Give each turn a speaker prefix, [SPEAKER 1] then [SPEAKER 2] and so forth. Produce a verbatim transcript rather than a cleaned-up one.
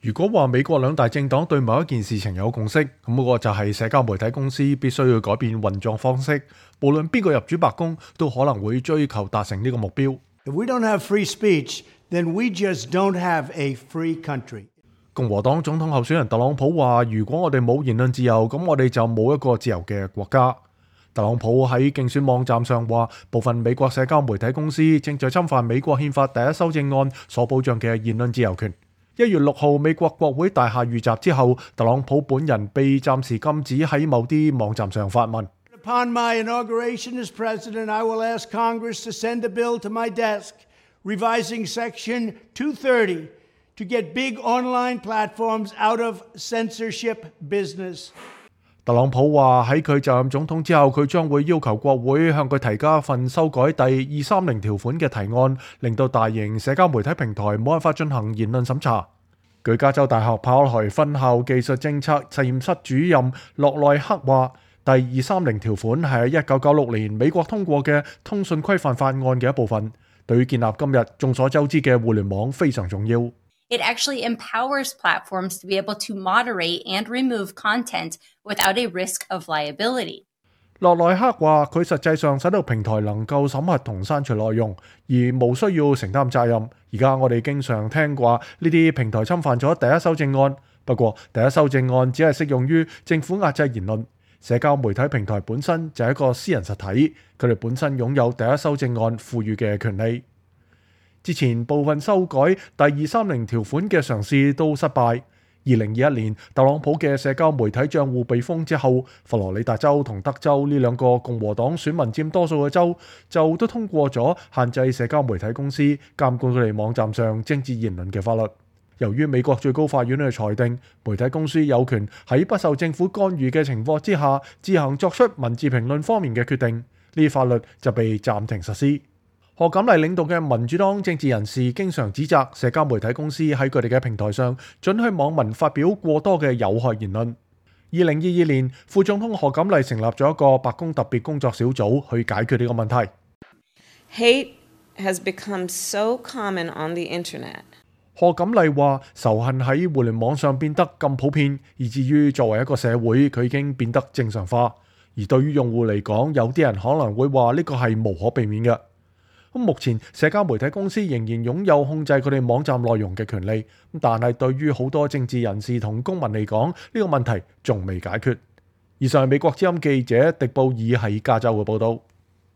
[SPEAKER 1] 如果話美國兩大政黨對某一件事情有共識，咁嗰個就係社交媒體公司必須要改變運作方式，無論邊個入主白宮，都可能會追求達成呢個目標。
[SPEAKER 2] If we don't have free speech, then we just don't have a free country.
[SPEAKER 1] 共和黨總統候選人特朗普話：如果我哋冇言論自由，咁我哋就冇一個自由嘅國家。特朗普喺競選網站上話，部分美國社交媒體公司正在侵犯美國憲法第一修正案所保障嘅言論自由權。一月六號，美國國會大廈遇襲之後，特朗普本人被暫時禁止喺某啲網站上發文。
[SPEAKER 2] Upon my inauguration as president, I will ask Congress to send a bill to my desk revising Section two thirty to get big online platforms out of censorship business.
[SPEAKER 1] 特朗普話喺佢就任總統之後，佢將會要求國會向佢提交一份修改第二三零條款嘅提案，令到大型社交媒體平台冇辦法進行言論審查。據加州大學柏克萊分校技術政策實驗室主任洛內克話，第二三零條款係喺一九九六年美國通過嘅通訊規範法案嘅一部分，對於建立今日眾所周知嘅互聯網非常重要。
[SPEAKER 3] It actually empowers platforms to be able to moderate and remove content without a risk of liability.
[SPEAKER 1] 洛內克話：佢實際上使到平台能夠審核同刪除內容，而無需要承擔責任。而家我哋經常聽過呢啲平台侵犯咗第一修正案，不過第一修正案只係適用於政府壓制言論。社交媒體平台本身就係一個私人實體，佢哋本身擁有第一修正案賦予嘅權利。之前部分修改第二三零條款嘅嘗試都失敗。二零二一年，特朗普嘅社交媒體帳戶被封之後，佛羅里達州同德州呢兩個共和黨選民佔多數嘅州，就都通過咗限制社交媒體公司監管佢哋網站上政治言論嘅法律。由於美國最高法院嘅裁定，媒體公司有權喺不受政府干預嘅情況之下，自行作出文字評論方面嘅決定，呢啲法律就被暫停實施。賀錦麗領導嘅民主黨政治人士經常指責社交媒體公司喺佢哋嘅平台上准許網民發表過多嘅有害言論。二零二二年，副總統賀錦麗成立咗一個白宮特別工作小組去解決呢個問題。
[SPEAKER 4] Hate has become so common on the internet.
[SPEAKER 1] 賀錦麗話：仇恨喺互聯網上變得咁普遍，以至於作為一個社會，佢已經變得正常化。而對於用戶嚟講，有啲人可能會話呢個係無可避免嘅。咁目前社交媒體公司仍然擁有控制佢哋網站內容嘅權利，但係對於好多政治人士同公民嚟講，呢個問題仲未解決。以上係美國之音記者狄布爾喺加州嘅報導。